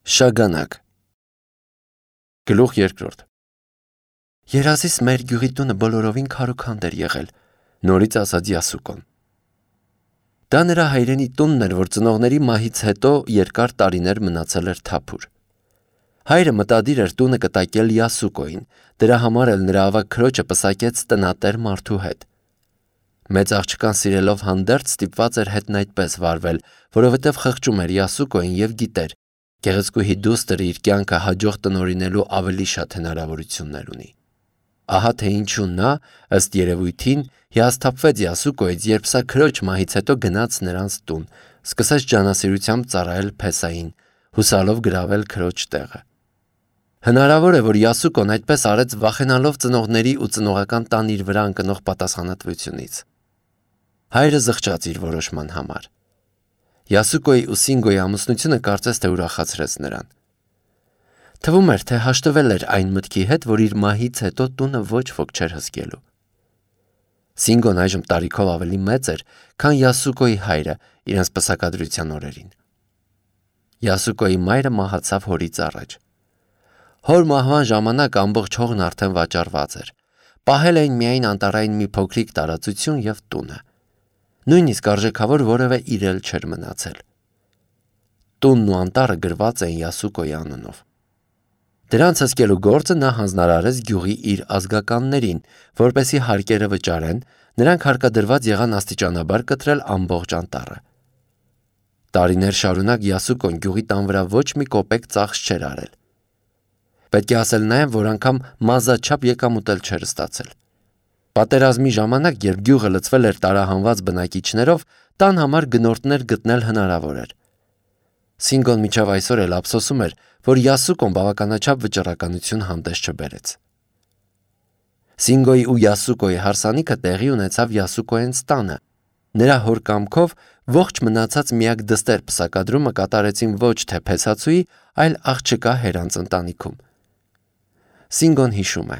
Շագանակ Գլուխ երկրորդ Երազիս մեր գյուղի տունը բոլորովին քարոքանդ էր եղել, նորից ասաց Յասուկոն։ Դա նրա հայրենի տունն էր, որ ծնողների մահից հետո երկար տարիներ մնացել էր թափուր։ Հայրը մտադիր էր տունը կտակել Յասուկոին, դրա համար էլ նրա ավագ քրոջը պսակեց տնատեր մարդու հետ։ Մեծ աղջկան սիրելով հանդերձ ստիպված էր հետն այդպես վարվել, որովհետև խղճում էր Յասուկոին և գիտեր, գեղեցկուհի դուստրը իր կյանքը հաջող տնօրինելու ավելի շատ հնարավորություններ ունի։ Ահա թե ինչու նա, ըստ երևույթին, հիասթափվեց Յասուկոից, երբ սա քրոջ մահից հետո գնաց նրանց տուն, սկսեց ջանասիրությամբ ծառայել Փեսային, հուսալով գրավել քրոջ տեղը։ Հնարավոր է, որ Յասուկոն այդպես արեց վախենալով ծնողների ու ծնողական տան իր վրա ընկնող պատասխանատվությունից։ Հայրը զղջաց իր որոշման համար։ Յասուկոյի ու Սինգոյի ամուսնությունը կարծես թե ուրախացրեց նրան։ Թվում էր, թե հաշտվել էր այն մտքի հետ, որ իր մահից հետո տունը ոչ ոք չէր հսկելու։ Սինգոն այժմ տարիքով ավելի մեծ էր, քան Յասուկոյի հայրը իրենց պսակադրության օրերին։ Յասուկոյի մայրը մահացավ հորից առաջ։ Հոր մահվան ժամանակ ամբողջ հողն արդեն վաճառված էր։ Պահել էին միայն անտառային մի փոքրիկ տարածություն և տունը։ Նույնիսկ արժեքավոր որևէ իրել չէր մնացել։ Տունն ու անտառը գրված էին Յասուկոյի անունով։ Դրանց հսկելու գործը նա հանձնարարեց գյուղի իր ազգականներին, որպեսզի հարկերը վճարեն, նրանք հարկադրված եղան աստիճանաբար կտրել ամբողջ անտառը։ Տարիներ շարունակ Յասուկոն գյուղի տան վրա ոչ մի կոպեկ ծախս չէր արել։ Պետք է ասել նաև, որ անգամ մազաչափ եկամուտ էլ չէր ստացել։ Պատերազմի ժամանակ, երբ գյուղը լցվել էր տարահանված բնակիչներով, տան համար գնորդներ գտնել հնարավոր էր։ Սինգոն մինչև այսօր էլ ափսոսում էր, որ Յասուկոն բավականաչափ վճռականություն հանդես չբերեց։ Սինգոյի ու Յասուկոյի հարսանիքը տեղի ունեցավ Յասուկոյենց տանը։ Նրա հոր կամքով ողջ մնացած միակ դստեր պսակադրումը կատարեցին ոչ թե Փեսացուի, այլ աղջկա Հերանց ընտանիքում։ Սինգոն հիշում է.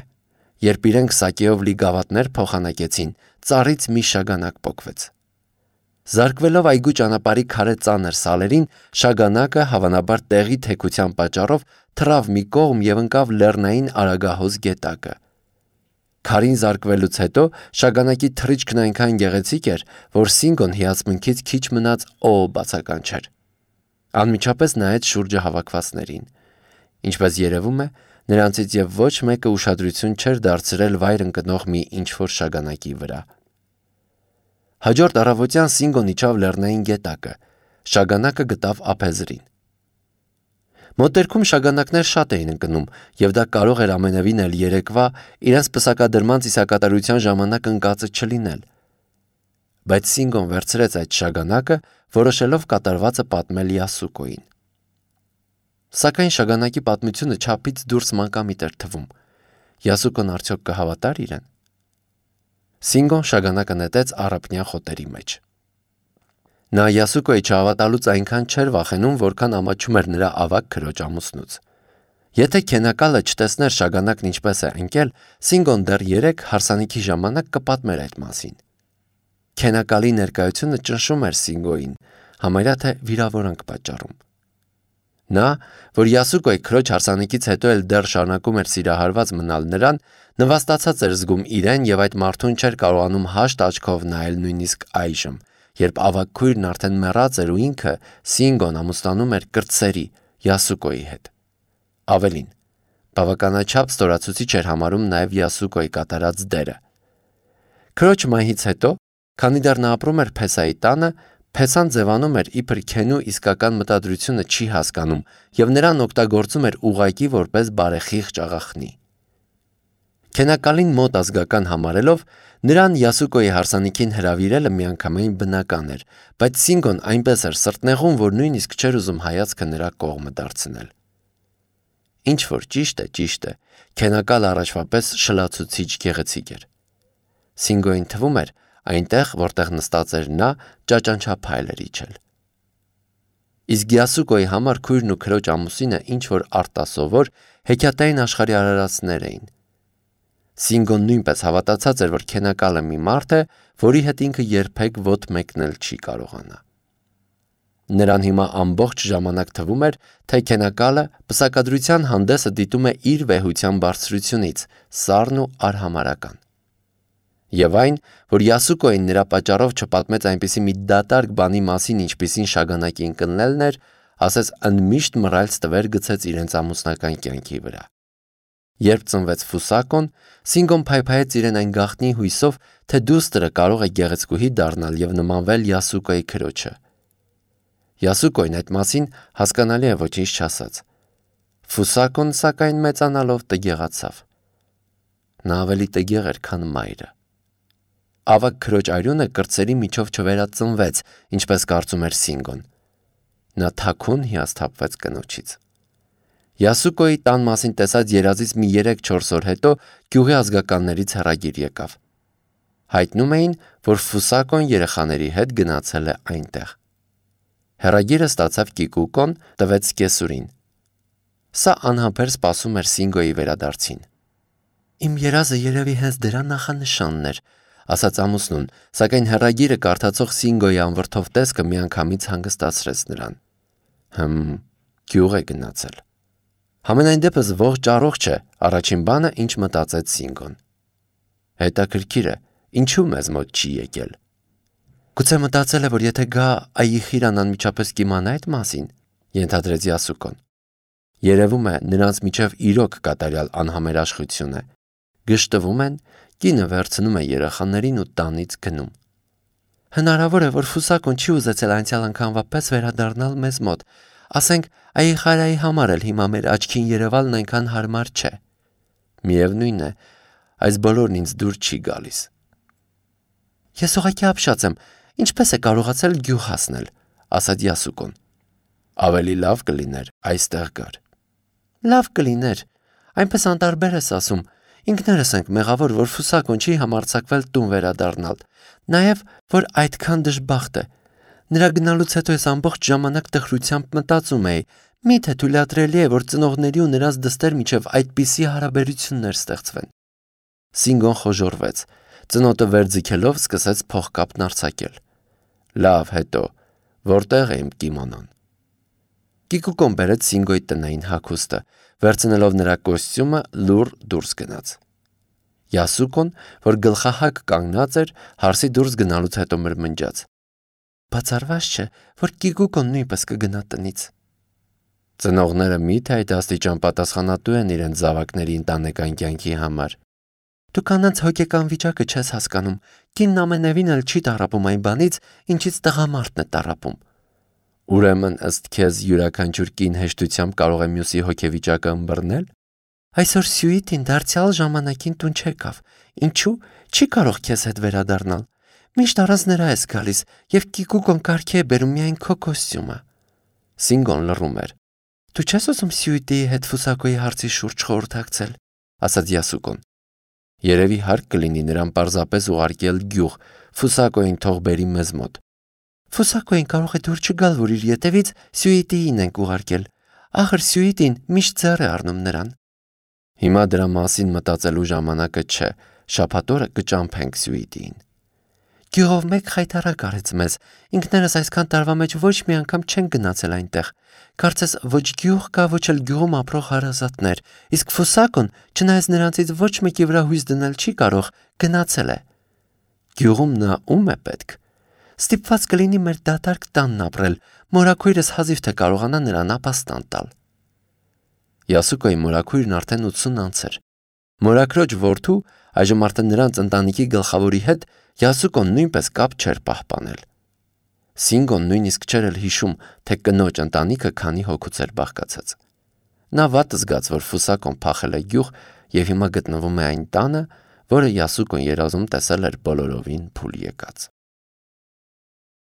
երբ իրենք սակեով լի գավաթներ փոխանակեցին, ծառից մի շագանակ պոկվեց։ Զարկվելով այգու ճանապարհի քարե ծանր սալերին, շագանակը հավանաբար տեղի թեքության պատճառով թռավ մի կողմ և ընկավ լեռնային արագահոս գետակը։ Քարին զարկվելուց հետո շագանակի թռիչքն այնքան գեղեցիկ էր, որ Սինգոն հիացմունքից քիչ մնաց բացականչեր։ Անմիջապես նայեց շուրջը հավաքվածներին։ Ինչպես երևում է, նրանցից և ոչ մեկը ուշադրություն չէր դարձրել վայր ընկնող մի ինչ-որ շագանակի վրա։ Հաջորդ առավոտյան Սինգոն իջավ լեռնային գետակը, շագանակը գտավ ափեզրին։ Մոտերքում շագանակներ շատ էին ընկնում, և դա կարող էր ամենևին էլ երեկվա իրենց պսակադրման ծիսակատարության ժամանակ ընկածը չլինել։ Բայց Սինգոն վերցրեց այդ շագանակը, որոշելով կատարվածը պատմել Յասուկոյին։ Սակայն շագանակի պատմությունը չափից դուրս մանկամիտ էր թվում։ Յասուկոն արդյոք կհավատար իրեն։ Սինգոն շագանակը նետեց առափնյա խոտերի մեջ։ Նա Յասուկոյի չհավատալուց այնքան չէր վախենում, որքան ամաչում էր նրա ավագ քրոջ ամուսնուց։ Եթե քենակալը չտեսներ շագանակն ինչպես է ընկել, Սինգոն դեռ երեկ հարսանիքի ժամանակ կպատմեր այդ մասին։ Քենակալի ներկայությունը ճնշում էր Սինգոյին, համարյա թե վիրավորանք պատճառում։ Նա, որ Յասուկոյի քրոջ հարսանիքից հետո էլ դեռ շարունակում էր սիրահարված մնալ նրան, նվաստացած էր զգում իրեն և այդ մարդուն չէր կարողանում հաշտ աչքով նայել նույնիսկ այժմ, երբ ավագ քույրն արդեն մեռած էր ու ինքը, Սինգոն, ամուսնանում էր կրտսերի Յասուկոյի հետ։ Ավելին, բավականաչափ ստորացուցիչ էր համարում նաև Յասուկոյի կատարած դերը։ Քրոջ մահից հետո, քանի դեռ նա ապրում էր Փեսայի տանը, Փեսան ձևանում էր իբր քենու իսկական մտադրությունը չի հասկանում և նրան օգտագործում էր ուղղակի որպես բարեխիղճ աղախնի։ Քենակալին մոտ ազգական համարելով, նրան Յասուկոյի հարսանիքին հրավիրելը միանգամայն բնական էր, բայց Սինգոն այնպես էր սրտնեղում, որ նույնիսկ չէր ուզում հայացքը նրա կողմը դարձնել։ Ինչ որ ճիշտ է, քենակալը առաջվա պես շլացուցիչ գեղեցիկ էր։ Սինգոյին թվում էր, այնտեղ, որտեղ նստած էր նա, ճաճանչափայլ էր իջել։ Իսկ Յասուկոյի համար քույրն ու քրոջ ամուսինը ինչ-որ արտասովոր, հեքիաթային աշխարհի արարածներ էին։ Սինգոն նույնպես հավատացած էր, որ քենակալը մի մարդ է, որի հետ ինքը երբեք ոտք մեկնել չի կարողանա։ Նրան հիմա ամբողջ ժամանակ թվում էր, թե քենակալը պսակադրության հանդեսը դիտում է իր վեհության բարձրությունից, սառն ու արհամարական։ Եվ այն, որ Յասուկոին նրա պատճառով չպատմեց այնպիսի մի դատարկ բանի մասին, ինչպիսին շագանակի ընկնելն էր, ասես ընդմիշտ մռայլ ստվեր գցեց իրենց ամուսնական կյանքի վրա։ Երբ ծնվեց Ֆուսակոն, Սինգոն փայփայեց իրեն այն գաղտնի հույսով, թե դուստրը կարող է գեղեցկուհի դառնալ եւ նմանվել Յասուկոյի քրոջը։ Յասուկոյն այդ մասին հասկանալի է ոչինչ չասաց։ Ֆուսակոն սակայն մեծանալով տգեղացավ։ Նա ավելի տգեղ էր, քան մայրը։ Ավագ քրոջ արյունը կրծերի միջով չվերածնվեց, ինչպես կարծում էր Սինգոն։ Նա թաքուն հիասթափվեց կնոջից։ Յասուկոյի տան մասին տեսած երազից մի 3-4 օր հետո գյուղի ազգականներից հեռագիր եկավ։ Հայտնում էին, որ Ֆուսակոն երեխաների հետ գնացել է այնտեղ։ Հեռագիրը ստացավ Կիկուկոն, տվեց կեսուրին։ Սա անհամբեր սպասում էր Սինգոյի վերադարձին։ Իմ երազը երևի հենց դրա նախանշանն էր, ասաց ամուսնուն, սակայն հեռագիրը կարդացող Սինգոյի անվրդով տեսքը միանգամից հանգստացրեց նրան։ Գյուղ է գնացել։ Համենայն դեպս ողջ առողջ է, առաջին բանը, ինչ մտածեց Սինգոն։ Հետաքրքիր է, ինչու մեզ մոտ չի եկել։ Գուցե մտածել է, որ եթե գա, Այիխիրան անմիջապես կիմանա այդ մասին, ենթադրեց Յասուկոն։ Երևում է, նրանց միջև իրոք կատարյալ անհամերաշխություն է։ Գժտվում են, կինը վերցնում է երեխաներին ու տանից գնում։ Հնարավոր է, որ Ֆուսակոն չի ուզեցել անցյալ անգամվա պես վերադառնալ մեզ մոտ։ Ասենք, Այիխարայի համար էլ հիմա մեր աչքին երևալն այնքան հարմար չէ։ Միևնույն է, այս բոլորն ինձ դուր չի գալիս։ Ես ուղղակի ապշած եմ, ինչպես է կարողացել գյուղ հասնել, ասաց Յասուկոն։ Ավելի լավ կլիներ այստեղ գար։ Լավ կլիներ, այնպես անտարբեր ես ասում, ինքներս ենք մեղավոր, որ Ֆուսակոն չի համարձակվել տուն վերադառնալ, նաև, որ այդքան դժբախտ է։ Նրա գնալուց հետո ես ամբողջ ժամանակ տխրությամբ մտածում էի, միթե թույլատրելի է, որ ծնողների ու նրանց դստեր միջև այդպիսի հարաբերություններ ստեղծվեն։ Սինգոն խոժոռվեց, ծնոտը վերձգելով սկսեց փողկապն արձակել։ Լավ, հետո, որտեղ է իմ կիմոնոն։ Կիկուկոն բերեց Սինգոյի տնային հագուստը, վերցնելով նրա կոստյումը լուռ դուրս գնաց։ Յասուկոն, որ գլխահակ կանգնած էր, հարսի դուրս գնալուց հետո մրմնջաց։ Բացառված չէ, որ Կիկուկոն նույնպես կգնա տնից։ Ծնողները միթե այդ աստիճան պատասխանատու են իրենց զավակների ընտանեկան կյանքի համար։ Դու կանանց հոգեկան վիճակը չես հասկանում, կինն ամենևին էլ չի տառապում այն բանից, ինչից տղամարդն է տառապում։ Ուրեմն ըստ քեզ յուրաքանչյուր կին հեշտությամբ կարող է մյուսի հոգեվիճակը ըմբռնել։ Այսօր Սյուիտին դարձյալ ժամանակին տուն չեկավ, ինչու՞ չի կարող քեզ հետ վերադառնալ։ Միշտ առանց նրա ես գալիս, եւ Կիկուկոն կարգի է բերում միայն քո կոստյումը։ Սինգոն լռում էր։ Դու չես ուզում Սյուիտիի հետ Ֆուսակոյի հարցի շուրջ խորհրդակցել, ասաց Յասուկոն։ Երևի հարկ կլինի նրան պարզապես ուղարկել գյուղ, Ֆուսակոյին թող բերի մեզ մոտ։ Ֆուսակոյին կարող է դուր չգալ, որ իր ետևից Սյուիտիին ենք ուղարկել։ Ախր Սյուիտին միշտ ձեռ է առնում նրան։ Հիմա դրա մասին մտածելու ժամանակը չէ, շաբաթ օրը կճամփենք Սյուիտիին։ Գյուղով մեկ խայտարակ արեց մեզ, ինքներս այսքան տարվա մեջ ոչ մի անգամ չեն գնացել այնտեղ։ Կարծես ոչ գյուղ կա, ոչ էլ գյուղում ապրող հարազատներ, իսկ Ֆուսակոն, չնայած նրանցից ոչ մեկի վրա հույս դնել չի կարող, գնացել է։ Գյուղում նա ում է պետք։ Ստիպված կլինի մեր դատարկ տանն ապրել, մորաքույրս հազիվ թե կարողանա նրան ապաստան տալ։ Յասուկոյի մորաքույրն արդեն 80 անց էր։ Մորաքրոջ որդու, այժմ արդեն նրանց ընտանիքի գլխավորի հետ Յասուկոն նույնպես կապ չէր պահպանել։ Սինգոն նույնիսկ չէր էլ հիշում, թե կնոջ ընտանիքը քանի հոգուց էր բաղկացած։ Նա վատ զգաց, որ Ֆուսակոն փախել է գյուղ եւ հիմա գտնվում է այն տանը, որը Յասուկոն երազում տեսել էր բոլորովին փուլ եկած։